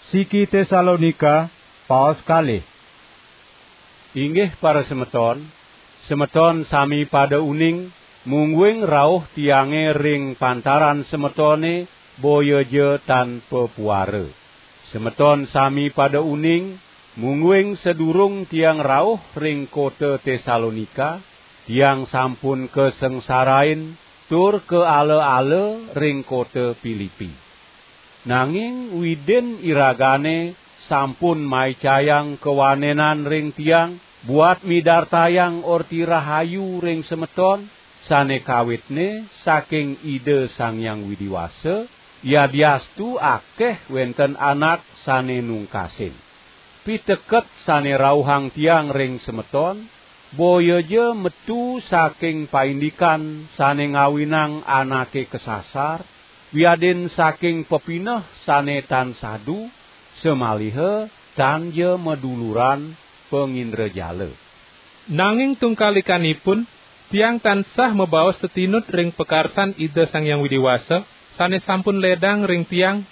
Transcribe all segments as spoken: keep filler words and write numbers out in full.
Siki Tesalonika, paos kalih. Inggih para semeton, semeton sami pada uning, mungguing rauh tiange ring pantaran semetone boya ja tan pepuara. Semeton sami pada uning, mungguing sadurung tiang rauh ring kota Tesalonika, tiang sampun kasengsarain tur kaala-ala ring kota Pilipi. Nanging Widin iragane sampun maicayang kawanenan ring tiang, buat midartayang Orti Rahayu ring semeton, sane kawitne saking Ida Sang Hyang Widi Wasa, yadiastu akeh wenten anak sane nungkasin. Piteket sane rauhang tiang ring semeton, boya ja metu saking paindikan sane ngawinang anake kasasar, wiadin saking pepineh sane tan sadu, samaliha tan ja maduluran pangindrajala. Nanging tungkalikanipun, tiang tansah mabaos tetinut ring pakarsan Ida Sang Hyang Widi Wasa, sane sampun ledang ring tiang,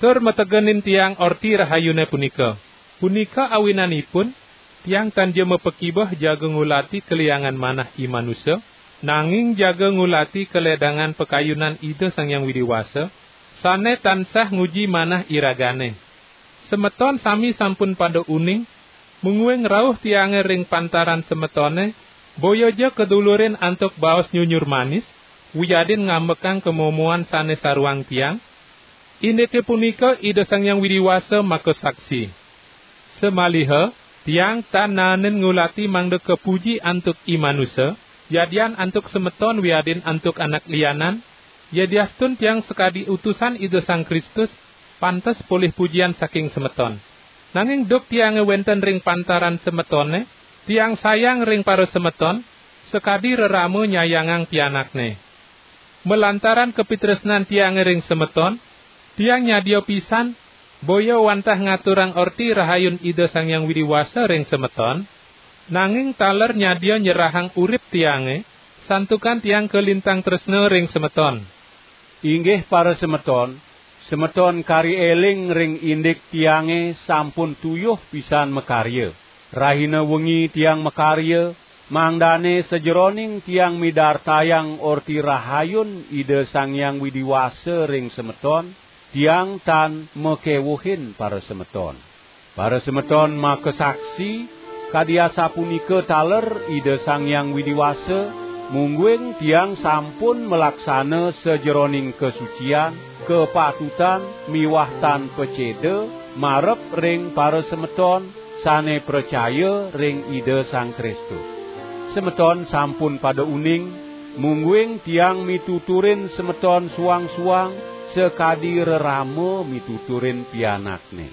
tur mategenin tiang Orti Rahayune punika. Punika awinanipun, tiang tan ja mapakibeh jaga ngulati kaliangan manah i manusa, nanging jaga ngulati kaledangan pakayunan Ida Sang Hyang Widi Wasa, sane tansah nguji manah iragane. Semeton sami sampun pada uning, mungguing rauh tiange ring pantaran semetone, boya ja kadulurin antuk baos nyunyur manis, wiadin ngambekang kamomoan sane saruang tiang. Indike punika Ida Sang Hyang Widi Wasa makasaksi. Samaliha, tiang tan naenin ngulati mangda kapuji antuk i manusa, yadian antuk semeton wiadin antuk anak lianan, yadiastun tiang sakadi utusan Ida Sang Kristus, pantes polih pujian saking semeton. Nanging duk tiange wenten ring pantaran semetone, tiang sayang ring parasemeton, sakadi rerama nyayangang pianakne. Malantaran kapitresnan tiange ring semeton, tiang nyadia pisan, boya wantah ngaturang Orti Rahayun Ida Sang Hyang Widi Wasa ring semeton, nanging taler nyadia nyerahang urip tiange, santukan tiang kalintang tresna ring semeton. Inggih para semeton, semeton kari eling ring indik tiange sampun tuyuh pisan makarya. Rahina wengi tiang makarya, mangdane sajeroning tiang midartayang Orti Rahayun Ida Sang Hyang Widi Wasa ring semeton, tiang tan makewuhin para semeton. Para semeton makasaksi, kadi asapunika taler Ida Sang Hyang Widi Wasa, mungguing tiang sampun malaksana sajeroning kasucian, kapatutan miwah tan paceda marep ring para semeton sane pracaya ring Ida Sang Kristus. Semeton sampun pada uning, mungguing tiang mituturin semeton suang-suang sakadi rerama mituturin pianakne.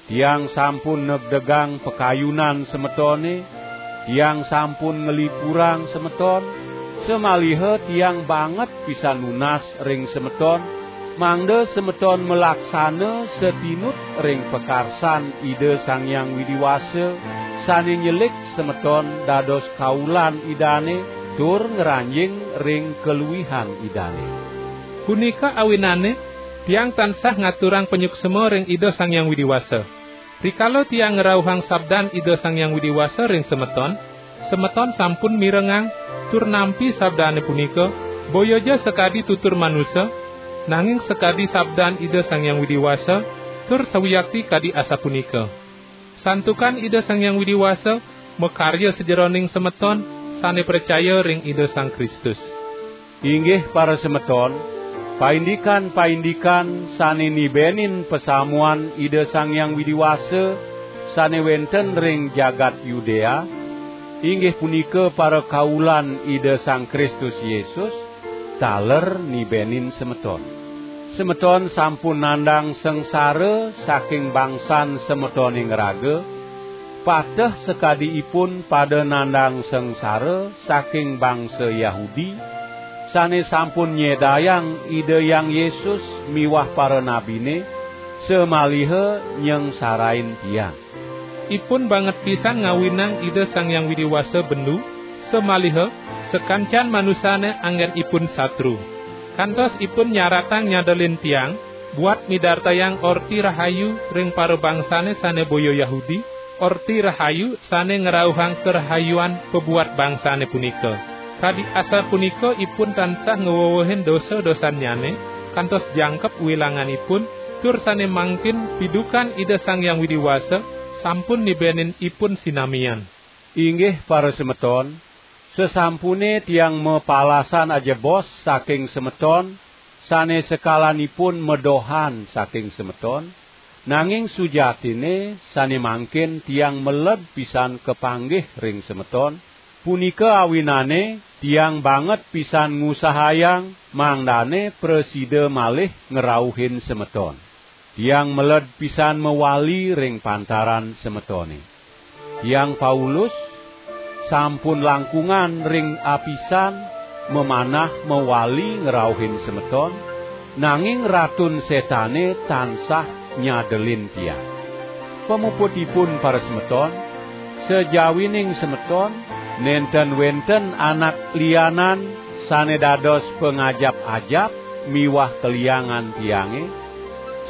Tiang sampun negdegang pakayunan semetone, tiang sampun nglipurang semeton, samaliha tiang banget pisan nunas ring semeton, mangda semeton malaksana satinut ring pakarsan Ida Sang Hyang Widi Wasa, sane nyelik semeton dados kaulan Idane tur ngranjing ring kaluihan Idane. Punika awinane, tiang tansah ngaturang panyuksma ring Ida Sang Hyang Widi Wasa. Rikala tiang ngrauhang sabdan Ida Sang Hyang Widi Wasa ring semeton, semeton sampun mirengang tur nampi sabdane punika, boya ja sakadi tutur manusa, nanging sakadi sabdan Ida Sang Hyang Widi Wasa, tur sawiakti kadi asapunika. Santukan Ida Sang Hyang Widi Wasa makarya sajeroning semeton sane pracaya ring Ida Sang Kristus. Inggih para semeton, paindikan-paindikan sane nibenin pasamuan Ida Sang Hyang Widi Wasa sane wenten ring jagat Yudea, inggih punika para kaulan Ida Sang Kristus Yesus, taler nibenin semeton. Semeton sampun nandang sangsara saking bangsan semetone ngraga, pateh sakadi ipun pada nandang sangsara saking bangsa Yahudi, sane sampun nyedayang Ida Hyang Yesus miwah para nabine, samaliha nyengsarain tiang. Ipun banget pisan ngawinang Ida Sang Hyang Widi Wasa bendu, samaliha sakancan manusane anggen ipun satru. Kantos ipun nyaratang nyadelin tiang, buat midartayang Orti Rahayu ring parabangsane sane boya Yahudi, Orti Rahayu sane ngrauhang karahayuan pabuat bangsane punika. Kadi asapunika ipun tansah ngwewehin dosa-dosannyane, kantos jangkep wilanganipun, tur sane mangkin pidukan Ida Sang Hyang Widi Wasa sampun nibenin ipun sinamian. Inggih parasemeton, sasampune tiang mapalasan ajebos saking semeton, sane sekalanipun medohan saking semeton, nanging sujatine sane mangkin tiang meled pisan kapanggih ring semeton, punika awinane tiang banget pisan ngusahayang mangdane prasida malih ngrauhin semeton. Tiang meled pisan mawali ring pantaran semetone. Tiang Paulus sampun langkungan ring apisan mamanah mawali ngrauhin semeton, nanging Ratun Setane tansah nyadelin tiang. Pamuputipun parasemeton, sajawining semeton nenten wenten anak lianan sane dados pangajap-ajap miwah kaliangan tiange,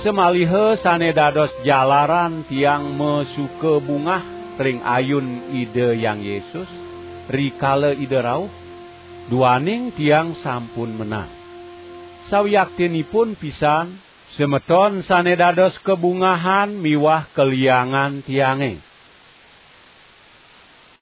samaliha sane dados jalaran tiang masuka bungah ring ayun Ida Hyang Yesus, rikala Ida rauh, duaning tiang sampun menang. Sawiaktinipun pisan, semeton sane dados kabungahan miwah kaliangan tiange.